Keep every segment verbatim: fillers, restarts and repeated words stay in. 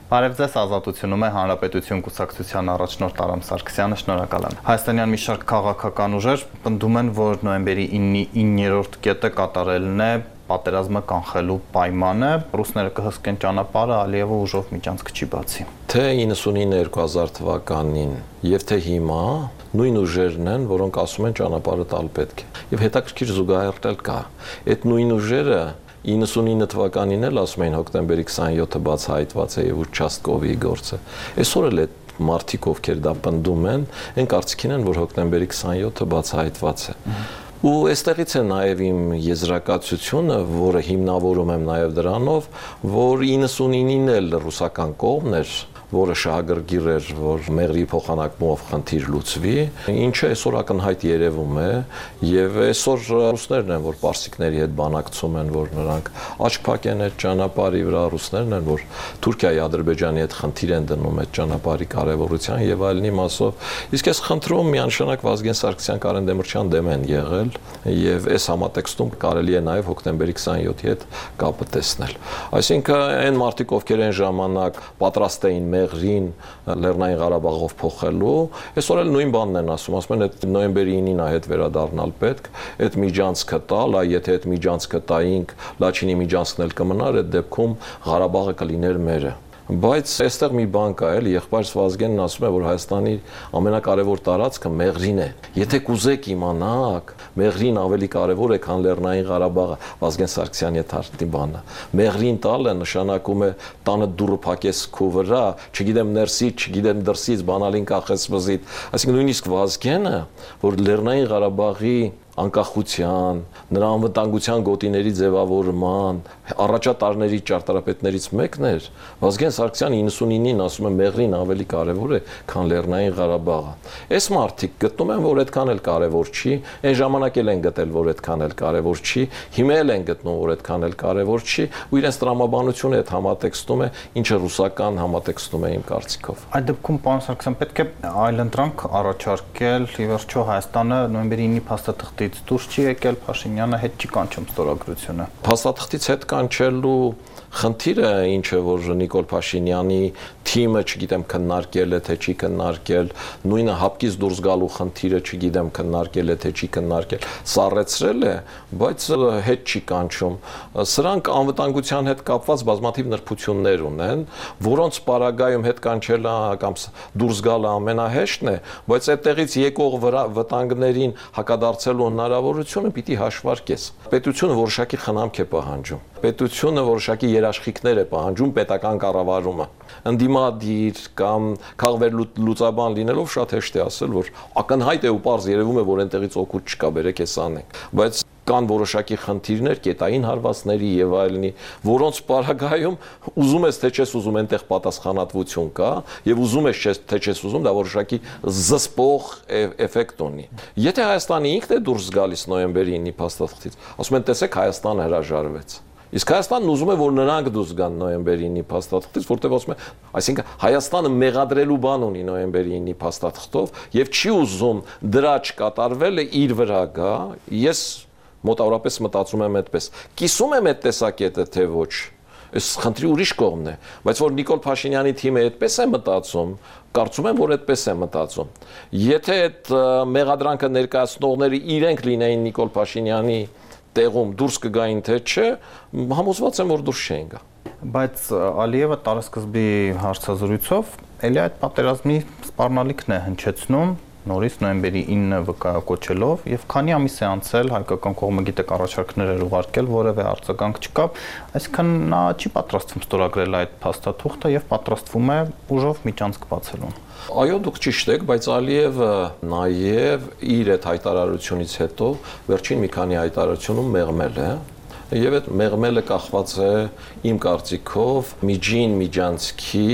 Բարև ձեզ, Ազատությունում է Հանրապետություն կուսակցության առաջնորդ Արամ Սարգսյանը, շնորհակալ եմ։ Հայաստանյան մի շարք քաղաքական ուժեր պնդում են, որ նոյեմբերի իններորդ կետը կատարելն է պատերազմը կանխելու պայմանը, ռուսները կհսկեն ճանապարհը, Ալիևը ուժով միջանցք չի բացի։ Թե իննսունինը երկու հազար թվականին եւ թե հիմա նույն ուժերն են, որոնք ասում են ճանապարհը տալ պետք է։ Եվ հետաքրքիր զուգահեռ կա։ Այդ նույն ուժերը իննսունինը թվականին էլ ասում էին հոկտեմբերի քսաներկուսը բացահայտված է եւ Ուչաստկովի գործը։ Այսօր էլ այդ մարդիկ, ովքեր դա պնդում են, այն կարծիքին են, որ հոկտեմբերի քսաներկուսը բացահայտված է։ Ու այստեղից է նաև իմ եզրակացությունը, որը հիմնավորում եմ նաև դրանով, որ իննսունինին էլ ռուսական կողմն էր, որը շահագրգիռ էր, որ մեղրի փոխանակումով խնդիր լուծվի, ինչը այսօր ակնհայտ երևում է, եւ այսօր ռուսներն են, որ պարսիկների հետ բանակցում են, որ նրանք աչք փակեն այդ ճանապարհի վրա, ռուսներն են, որ Թուրքիայի, Ադրբեջանի հետ խնդիր են դնում այդ ճանապարհի կարեւորության եւ այլնի մասով։ Իսկ այս խնդրում միանշանակ Վազգեն Սարգսյան, Կարեն Դեմիրճյան դեմ են եղել եւ այս համատեքստում կարելի է նաեւ հոկտեմբերի քսաներկուսի հետ կապը տեսնել։ Այսինքն այն մարդիկ, ովքեր այն ժամանակ պատրաստ էին մեղրին Լեռնային Ղարաբաղով փոխելու, այսօր էլ նույն բանն են ասում, ասում են այդ նոյեմբերի ինին այդ վերադառնալ պետք, այդ միջանցքը տալ, այ եթե այդ միջանցքը տայինք, Լաչինի միջանցքն էլ կմնար, այդ դեպքում Ղարաբաղը կլիներ մերը։ Բայց այստեղ մի բան կա, էլի եղբայրս Վազգենն ասում է, որ Հայաստանի ամենակարևոր տարածքը Մեղրին է։ Եթե կուզեք իմանաք, Մեղրին ավելի կարևոր է, քան Լեռնային Ղարաբաղը, Վազգեն Սարգսյանի թարգմանի բանը։ Մեղրին տալը նշանակում է տանը դուռը փակես քո վրա, չգիտեմ ներսից, չգիտեմ դրսից, բանալին կախես վզիտ։ Այսինքն նույնիսկ Վազգենը, որ Լեռնային Ղարաբաղի անկախության, նրա անվտանգության գոտիների ձևավորման, առաջատարների ճարտարապետներից մեկն էր, Վազգեն Սարգսյանը իննսունինին ասում է Մեղրին ավելի կարևոր է, քան Լեռնային Ղարաբաղը։ Այս մարդիկ գտնում են, որ այդքան էլ կարևոր չի, այն ժամանակ էլ են գտել, որ այդքան էլ կարևոր չի, հիմա էլ են գտնում, որ այդքան էլ կարևոր չի, ու իրենց տրամաբանությունը այդ համատեքստում է, ինչը ռուսական համատեքստում է իմ կարծիքով։ Այդ դեպքում, պարոն Սարգսյան, պետք է այլընտրանք առաջարկել, ի վերջո Հայաստանը նոյեմբերի ինի փաստաթղթի դուրս չի եկել, Փաշինյանը հետ չի կանչում ստորագրությունը։ Փաստաթղթից հետ կանչելու խնդիրը ինչը որ Նիկոլ Փաշինյանի թիմը, չգիտեմ, քննարկել է թե չի քննարկել, նույնը հապկից դուրս գալու խնդիրը, չգիտեմ, քննարկել է թե չի քննարկել, սառեցրել է, բայց հետ չի կանչում։ Սրանք անվտանգության հետ կապված բազմաթիվ նրբություններ ունեն, որոնց պարագայում հետ կանչելը կամ դուրս գալը ամենահեշտն է, բայց այդտեղից եկող վտանգներին հակադարձելու հնարավորությունը պիտի հաշվարկես։ Պետությունը որոշակի խնամք է պահանջում։ Պետությունը որոշակի երաշխիքներ է պահանջում պետական կառավարումը։ Ընդդիմադիր կամ քաղվերլուծաբան լինելով շատ հեշտ է ասել, որ ակնհայտ է ու պարզ երևում է, որ այնտեղից օգուտ չկա, բերեք էս անենք։ Բայց կան որոշակի խնդիրներ, կետային հարվածների եւ այլնի, որոնց պարագայում ուզում ես թե չես ուզում այնտեղ պատասխանատվություն կա եւ ուզում ես թե չես ուզում դա որոշակի զսպող էֆեկտ ունի։ Եթե Հայաստանը ինքն է դուրս գալիս նոյեմբերի ինի փաստաթղթից, ասում են տեսեք Հայաստանը հրաժարվեց։ Իսկ Հայաստանն ուզում է, որ նրանք դուրս գան նոյեմբերի ինի փաստաթղթից, որտեղ ասում է, այսինքն Հայաստանը մեղադրելու բան ունի նոյեմբերի ինի փաստաթղթով եւ չի ուզում դրա չկատարվելը իր վրա գա։ Ես մոտավորապես մտածում եմ այդպես։ Կիսում եմ այդ տեսակետը, թե ոչ։ Այս խնդրի ուրիշ կողմն է, բայց որ Նիկոլ Փաշինյանի թիմը այդպես է մտածում, կարծում եմ, որ այդպես է մտածում։ Եթե այդ մեղադրանքը ներկայացնողները իրենք լինեին Նիկոլ Փաշինյանի տեղում դուրս կգային թե չէ, համոզված եմ, որ դուրս չէին գա։ Բայց Ալիևը տարեսկզբի հարցազրույցով էլի այդ պատերազմի սպառնալիքն է հնչեցնում, նորից նոյեմբերի ինը վկայակոչելով եւ քանի ամիս է անցել, հայկական կողմը գիտեք առաջարկներ էր ուղարկել, որևէ արձագանք չկա, այսինքն նա չի պատրաստվում ստորագրել այդ փաստաթուղթը եւ պատրաստվում է ուժով միջանցք բացելուն։ Այո, դուք ճիշտ եք, բայց Ալիևը նաև իր այդ հայտարարությունից հետո վերջին մի քանի հայտարարությունում մեղմել է եւ այդ մեղմելը կախված է իմ կարծիքով միջին միջանցքի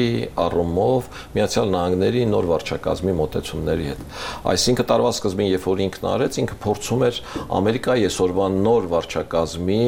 առումով Միացյալ Նահանգների նոր վարչակազմի մոտեցումների հետ։ Այսինքն տարվա սկզբին, երբ որ ինքն արեց, ինքը փորձում էր Ամերիկայի այսօրվա նոր վարչակազմի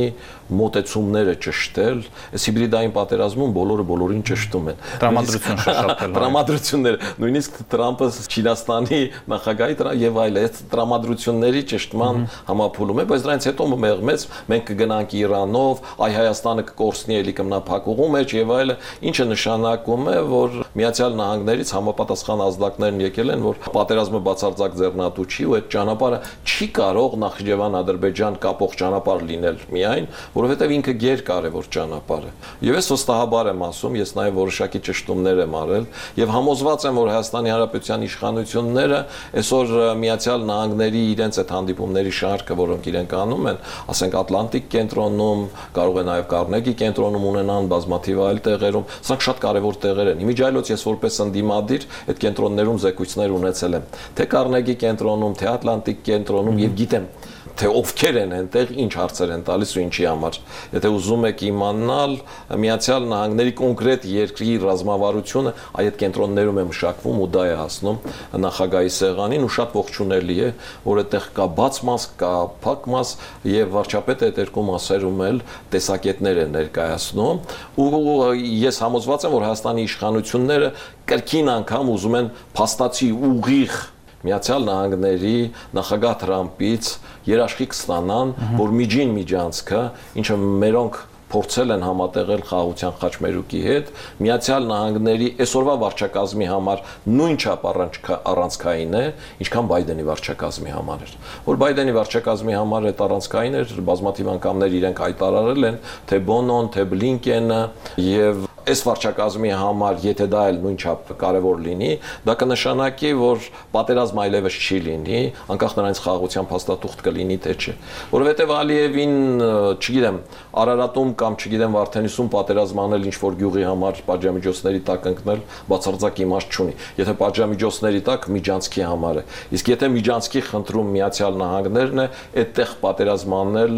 մոտեցումները ճշտել, այս հիբրիդային պատերազմում բոլորը բոլորին ճշտում են։ Տրամադրություն շշափել։ Տրամադրություններ, նույնիսկ Թրամփը Չինաստանի նախագահի եւ այլ այդ տրամադրությունների ճշտման համապուլում է, բայց դրանից հետո մեղմեց, մենք կգնանք կփակի Իրանով, այ Հայաստանը կկորցնի էլի կմնափակուղու մեջ եւ այլը, ինչը նշանակում է, որ Միացյալ Նահանգներից համապատասխան ազդակներն եկել են, որ պատերազմը բացարձակ ձեռնատու չի ու այդ ճանապարհը չի կարող Նախիջևան-Ադրբեջան կապող ճանապարհ լինել միայն, որովհետեւ ինքը գերկարևոր ճանապարհ է։ Եվ ես վստահաբար եմ ասում, ես նաեւ որոշակի ճշտումներ եմ արել եւ համոզված եմ, որ Հայաստանի Հանրապետության իշխանությունները այսօր Միացյալ Նահանգների իրենց այդ հանդիպումների շարքը, որոնք իրենք անում են, ասենք Ատլանտիկ կենտրոնում, կարող է նաեւ Կարնեգի կենտրոնում ունենան, բազմաթիվ այլ տեղերում, սրանք շատ կարևոր տեղեր են։ Իմիջիայլոց ես որպես ընդդիմադիր այդ կենտրոններում զեկույցներ ունեցել եմ, թե Կարնեգի կենտրոնում, թե Ատլանտիկ կենտրոնում եւ գիտեմ թե ովքեր են այնտեղ, ինչ հարցեր են տալիս ու ինչի համար։ Եթե ուզում եք իմանալ Միացյալ Նահանգների կոնկրետ երկրի ռազմավարությունը, այդ կենտրոններում է մշակվում ու դա է հասնում նախագահի սեղանին ու շատ ողջունելի է, որ այդտեղ կա բաց մաս, կա փակ մաս եւ վարչապետը այդ երկու մասերում էլ տեսակետներ են ներկայացնում ու ես համոզված եմ, որ Հայաստանի իշխանությունները կրկին անգամ ուզում են փաստացի ուղիղ Միացյալ Նահանգների նախագահ Թրամփից երաշխիք ստանան, որ միջին միջանցքը, ինչը մերոնք փորձել են համատեղել խաղաղության խաչմերուկի հետ, Միացյալ Նահանգների այսօրվա վարչակազմի համար նույնչափ առանցքային է, ինչքան Բայդենի վարչակազմի համար էր։ Որ Բայդենի վարչակազմի համար այդ առանցքային էր, բազմաթիվ անգամներ իրենք հայտարարել են, թե Բոնոն, թե Բլինկենը եւ այս վարչակազմի համար, եթե դա էլ նույնչափ կարևոր լինի, դա կնշանակի, որ պատերազմ այլևս չի լինի, անկախ նրանից խաղաղության փաստաթուղթ կլինի թե չէ։ Որովհետև Ալիևին, չգիտեմ, Արարատում կամ չգիտեմ Վարդենիսում պատերազմ անել ինչ-որ գյուղի համար պատժամիջոցների տակ ընկնել բացարձակ իմաստ չունի։ Եթե պատժամիջոցների տակ միջանցքի համար է։ Իսկ եթե միջանցքի խնդրում Միացյալ Նահանգներն է, այդտեղ պատերազմ անել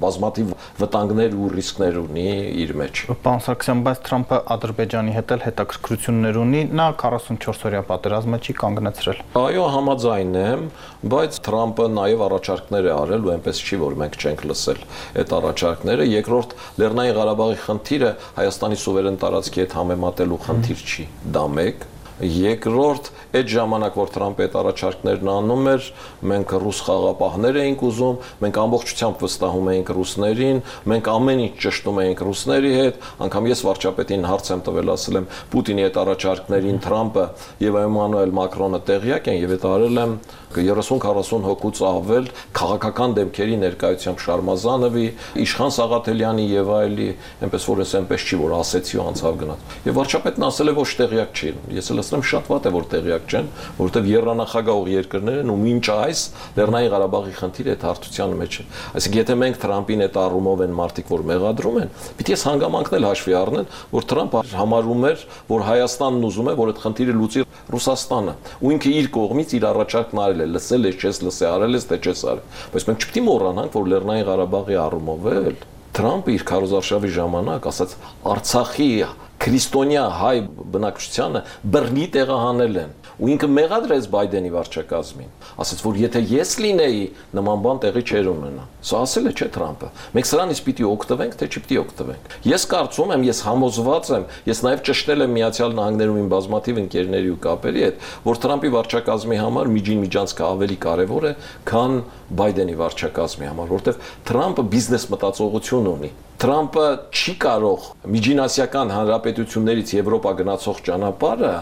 բազմաթիվ վտանգներ ու ռիսկներ ունի իր մեջ։ Պարոն Սարգսյան, բայց Թրամփը Ադրբեջանի հետ էլ հետաքրքրություններ ունի, նա քառասունչորս օրյա պատերազմը չի կանգնեցրել։ Այո, համաձայն եմ, բայց Թրամփը նաև առաջարկներ է արել ու այնպես չի, որ մենք չենք լսել այդ առաջարկները։ Երկրորդ, Լեռնային Ղարաբաղի խնդիրը Հայաստանի սուվերեն տարածքի հետ համեմատելու խնդիր չի, դա մեկ։ Երկրորդ, այդ ժամանակ, որ Թրամփը այդ առաջարկներն անում էր, մենք ռուս խաղապահներ էինք ուզում, մենք ամբողջությամբ վստահում էինք ռուսներին, մենք ամեն ինչ ճշտում էինք ռուսների հետ, անգամ ես վարչապետին հարց եմ տվել, ասել եմ Պուտինի այդ առաջարկներին Թրամփը եւ Էմանուել Մակրոնը տեղյակ են եւ այդ արել եմ երեսուն-քառասուն հոգուց ավել քաղաքական դեմքերի ներկայությամբ Շարմազանովի, Իշխան Սաղաթելյանի եւ այլի, այնպես որ ես այնպես չի, որ ասեցի ու անցավ գնաց։ Եվ վարչապետն ասել է ոչ տեղյակ չի։ Ես էլ ասեմ շատ վատ է, որ տեղյակ չեն, որովհետեւ երանախագահող երկրներ են ու մինչ այս Լեռնային Ղարաբաղի խնդիրը այդ հարթության մեջ է։ Այսինքն եթե մենք Թրամփին այդ առումով են մարդիկ, որ մեղադրում են, պիտի ես հանգամանքն էլ հաշվի առնեն, որ Թրամփը համարում էր, որ Հայաստանն ուզում է, որ այդ խնդիրը լուծի Ռուսաստանը, ու ինքը իր կողմից իր առաջարկն արել է, լսել ես, չես լսել, արել ես, թե չես արել։ Բայց մենք չպիտի մոռանանք, որ Լեռնային Ղարաբաղի առումով էլ Թրամփը իր քարոզարշավի ժամանակ ասաց Արցախի քրիստոնյա հայ բնակչությանը բռնի տեղահանել են ու ինքը մեղադրեց Բայդենի վարչակազմին, ասաց, որ եթե ես լինեի, նման բան տեղի չէր ունենա։ Սա ասել է չէ Թրամփը։ Մենք սրանից պիտի օգտվենք, թե չպիտի օգտվենք։ Ես կարծում եմ, ես համոզված եմ, ես նաև ճշտել եմ Միացյալ Նահանգներում իմ բազմաթիվ ընկերների ու կապերի հետ, որ Թրամփի վարչակազմի համար միջին միջանցքը ավելի կարևոր է, քան Բայդենի վարչակազմի համար, որովհետև Թրամփը բիզնես մտածողություն ունի։ Թրամփը չի կարող միջինասիական հանրապետություններից Եվրոպա գնացող ճանապարհը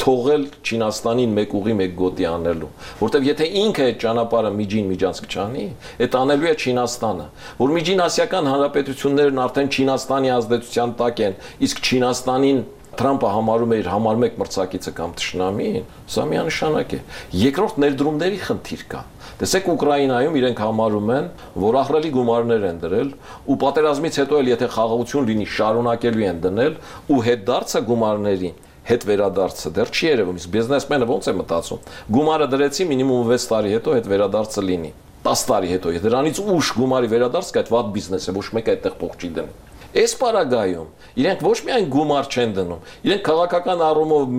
թողել Չինաստանին մեկ ուղի մեկ գոտի անելու, որտեվ եթե ինքը այդ ճանապարհը միջին միջանցք չանի, այդ անելու է Չինաստանը, որ միջինասիական հանրապետություններն արդեն Չինաստանի ազդեցության տակ են, իսկ Չինաստանին Թրամփը համարում է իր համար մեկ մրցակիցը կամ թշնամին, սա միանշանակ է։ Երկրորդ ներդրումների խնդիր կա։ Տեսեք Ուկրաինայում իրենք համարում են, որ ահռելի գումարներ են դրել ու պատերազմից հետո էլ եթե խաղաղություն լինի, շարունակելու են դնել ու հետդարձը գումարներին հետ վերադարձը դեռ չի երևում, իսկ բիզնեսմենը ոնց է մտածում։ Գումարը դրեցի մինիմում վեց տարի հետո հետ վերադարձը լինի, տասը տարի հետո, եթե դրանից ուշ գումարի վերադարձ կա, այդ վատ բիզնես է, ոչ մեկ այդտեղ փող չի դնում։ Այս պարագայում իրենք ոչ միայն գումար չեն դնում, իրենք քաղաքական առումով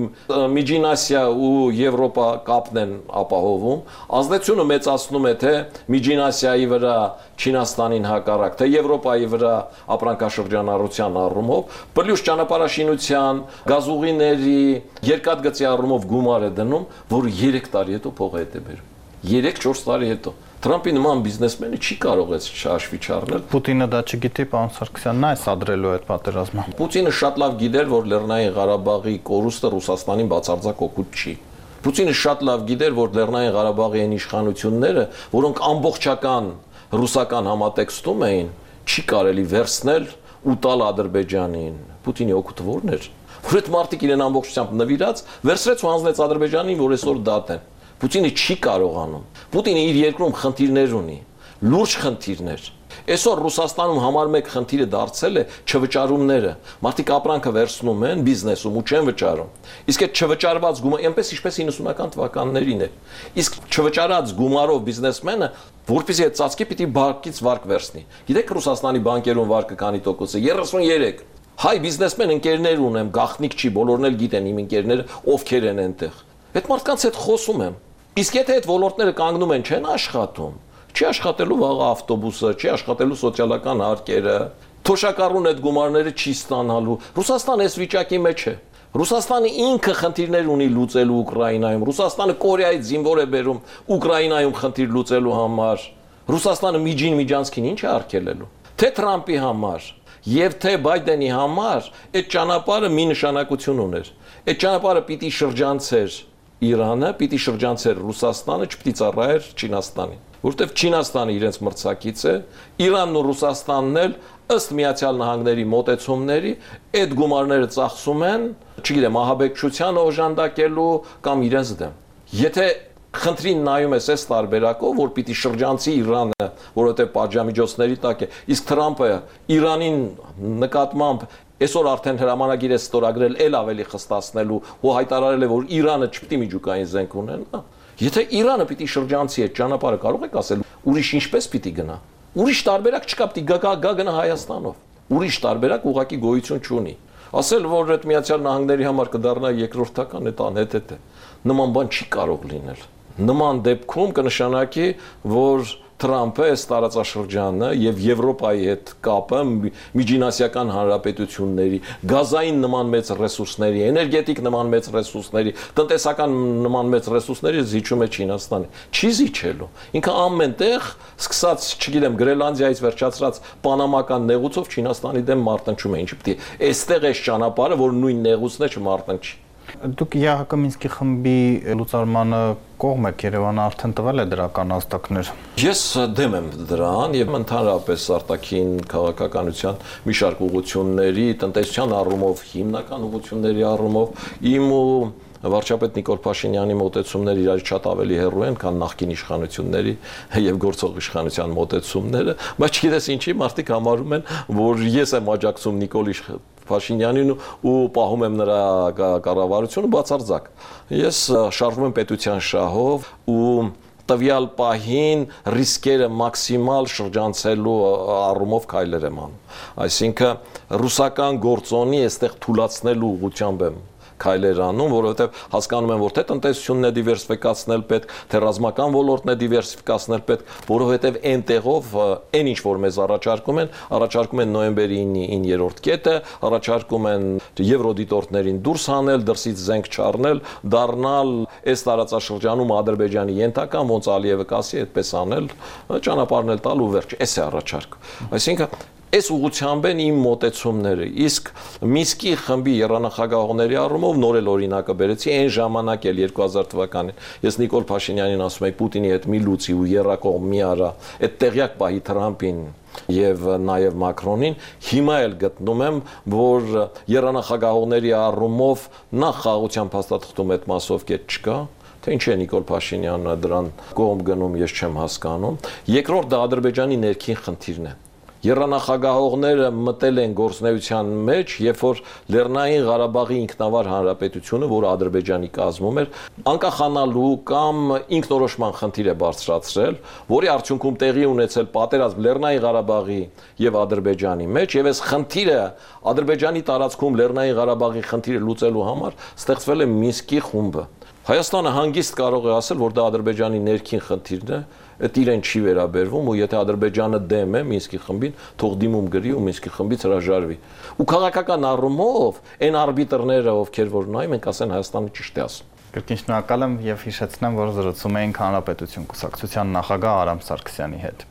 Միջին Ասիա ու Եվրոպա կապն են ապահովում, ազդեցությունը մեծացնում է թե Միջին Ասիայի վրա Չինաստանին հակառակ, թե Եվրոպայի վրա ապրանքաշրջանառության առումով, պլյուս ճանապարհաշինության, գազուղիների, երկաթգծի առումով գումար է դնում, որ երեք տարի հետո փող հետ է բերում։ երեք չորս տարի հետո։ Թրամփի նման բիզնեսմենը չի կարող այս հաշվի չառնել։ Պուտինը դա չգիտի, պարոն Սարգսյան, նա է սադրելու այդ պատերազմը։ Պուտինը շատ լավ գիտեր, որ Լեռնային Ղարաբաղի կորուստը Ռուսաստանին բացարձակ օգուտ չի։ Պուտինը շատ լավ գիտեր, որ Լեռնային Ղարաբաղի այն իշխանությունները, որոնք ամբողջական ռուսական համատեքստում էին, չի կարելի վերցնել ու տալ Ադրբեջանին։ Պուտինի օգուտը ո՞րն էր։ Որ այդ մարդիկ իրեն ամբողջությամբ նվիրած վերցրեց ու հանձնեց Ադրբեջանին, որ այսօր դատեն։ Պուտինը չի կարողանում։ Պուտինը իր երկրում խնդիրներ ունի, լուրջ խնդիրներ։ Այսօր Ռուսաստանում համար մեկ խնդիրը դարձել է չվճարումները։ Մարդիկ ապրանքը վերցնում են բիզնեսում ու չեն վճարում։ Իսկ այդ չվճարված գումարը, այնպես ինչպես իննսունական թվականներին էր։ Իսկ չվճարած գումարով բիզնեսմենը, որպեսզի այդ ծածկի պիտի բանկից վարկ վերցնի։ Գիտեք Ռուսաստանի բանկերում վարկը քանի տոկոս է։ երեսունյոթ։ Հայ բիզնեսմեն ընկերներ ունեմ, գաղտնիք չի, բոլորն էլ գիտեն իմ ընկերները ովքեր են այնտեղ։ Այդ մարդկանց հետ խոսում եմ։ Իսկ եթե այդ ոլորտները կանգնում են, չեն աշխատում, չի աշխատելու վաղ ավտոբուսը, չի աշխատելու սոցիալական հարկերը, թոշակառուն այդ գումարները չի ստանալու։ Ռուսաստանը այս վիճակի մեջ է։ Ռուսաստանը ինքը խնդիրներ ունի լուծելու Ուկրաինայում։ Ռուսաստանը Կորեայից զինվոր է բերում Ուկրաինայում խնդիր լուծելու համար։ Ռուսաստանը միջին միջանցքին ինչ է արգելելու։ Թե Թրամփի համար եւ թե Բայդենի համար այդ ճանապարհը մի նշանակություն ուներ։ Այդ ճանապարհը պիտի շրջանցեր Իրանը, պիտի շրջանցեր Ռուսաստանը, չպիտի ծառայեր Չինաստանին, որովհետև Չինաստանը իրենց մրցակից է, Իրանն ու Ռուսաստանն էլ ըստ Միացյալ Նահանգների մոտեցումների այդ գումարները ծախսում են, չգիտեմ, ահաբեկչության օժանդակելու կամ իրենց դեմ։ Եթե խնդրին նայում ես այս տարբերակով, որ պիտի շրջանցի Իրանը, որովհետև պատժամիջոցների տակ է, իսկ Թրամփը Իրանին նկատմամբ այսօր արդեն հրամանագիր է ստորագրել էլ ավելի խստացնելու ու հայտարարել է, որ Իրանը չպիտի միջուկային զենք ունենա։ Եթե Իրանը պիտի շրջանցի այդ ճանապարհը, կարող եք ասել, ուրիշ ինչպես պիտի գնա։ Ուրիշ տարբերակ չկա, պիտի գա գա գնա Հայաստանով։ Ուրիշ տարբերակ ուղղակի գոյություն չունի։ Ասել, որ այդ Միացյալ Նահանգների համար կդառնա երկրորդական, այդ անհետ է։ Նման բան չի կարող լինել։ Նման դեպքում կնշանակի, որ Թրամփը այս տարածաշրջանը եւ Եվրոպայի հետ կապը միջինասիական հանրապետությունների, գազային նման մեծ ռեսուրսների, էներգետիկ նման մեծ ռեսուրսների, տնտեսական նման մեծ ռեսուրսների զիջում է Չինաստանի։ Չի զիջելու։ Ինքը ամենտեղ, սկսած, չգիտեմ, Գրենլանդիայից վերջացրած պանամական նեղուցով Չինաստանի դեմ մարտնչում է։ Ինչի՞ պիտի այստեղ էս ճանապարհը, որ նույն նեղուցն է, չմարտնչի։ Դուք ԵԱՀԿ Մինսկի խմբի լուծարմանը կողմ եք, Երևանը արդեն տվել է դրական ազդակներ։ Ես դեմ եմ դրան եւ ընդհանրապես արտաքին քաղաքականության մի շարք ուղղությունների, տնտեսության առումով, հիմնական ուղղությունների առումով իմ ու վարչապետ Նիկոլ Փաշինյանի մոտեցումները իրար շատ ավելի հեռու են, քան նախկին իշխանությունների եւ գործող իշխանության մոտեցումները, բայց չգիտես ինչի մարդիկ համարում են, որ ես եմ աջակցում Նիկոլ Փաշինյանին ու պահում եմ նրա կառավարությունը բացարձակ։ Ես շարժվում եմ պետության շահով ու տվյալ պահին ռիսկերը մաքսիմալ շրջանցելու առումով քայլեր եմ անում։ Այսինքն ռուսական գործոնի այստեղ թուլացնելու ուղղությամբ եմ քայլեր անում, որովհետև հասկանում եմ, որ թե տնտեսությունն է դիվերսիֆիկացնել պետք, թե ռազմական ոլորտն է դիվերսիֆիկացնել պետք, որովհետև այնտեղով այն ինչ որ մեզ առաջարկում են, առաջարկում են նոյեմբերի ինը-երրորդ կետը, առաջարկում են եվրոդիտորդներին դուրս հանել, դրսից զենք չառնել, դառնալ այս տարածաշրջանում Ադրբեջանի ենթական, ոնց Ալիևը կասի, այդպես անել, ճանապարհն էլ տալ ու վերջ, էս է առաջարկը։ Այսինքն Այս ուղղությամբ են իմ մոտեցումները, իսկ Մինսկի խմբի եռանախագահողների առումով նոր էլ օրինակը բերեցի, այն ժամանակ էլ երկու հազար թվականին ես Նիկոլ Փաշինյանին ասում եի Պուտինի հետ մի լուծի ու երրակողմ մի արա, այդ տեղյակ պահի Թրամփին եւ նաեւ Մակրոնին, հիմա էլ գտնում եմ, որ եռանախագահողների առումով նախ խաղաղության փաստաթղթում այդ մասով կետ չկա, թե ինչ է Նիկոլ Փաշինյանը դրան կողմ գնում, ես չեմ հասկանում։ Երկրորդ դա Ադրբեջանի ներքին խնդիրն է։ Եռանախագահողները մտել են գործնեության մեջ, երբ որ Լեռնային Ղարաբաղի ինքնավար հանրապետությունը, որը Ադրբեջանի կազմում էր, անկախանալու կամ ինքնորոշման խնդիր է բարձրացրել, որի արդյունքում տեղի ունեցել պատերազմ Լեռնային Ղարաբաղի եւ Ադրբեջանի մեջ, եւ այս խնդիրը Ադրբեջանի տարածքում Լեռնային Ղարաբաղի խնդիրը լուծելու համար ստեղծվել է Մինսկի խումբը։ Հայաստանը հանգիստ կարող է ասել, որ դա Ադրբեջանի ներքին խնդիրն է, այդ իրեն չի վերաբերվում ու եթե Ադրբեջանը դեմ է Մինսկի խմբին, թող դիմում գրի ու Մինսկի խմբից հրաժարվի։ Ու քաղաքական առումով այն արբիտրները, ովքեր որ նայում են, ասեն Հայաստանը ճիշտ է ասում։ Կրկին շնորհակալ եմ եւ հիշեցնեմ, որ զրուցում էինք Հանրապետություն կուսակցության նախագահ Արամ Սարգսյանի հետ։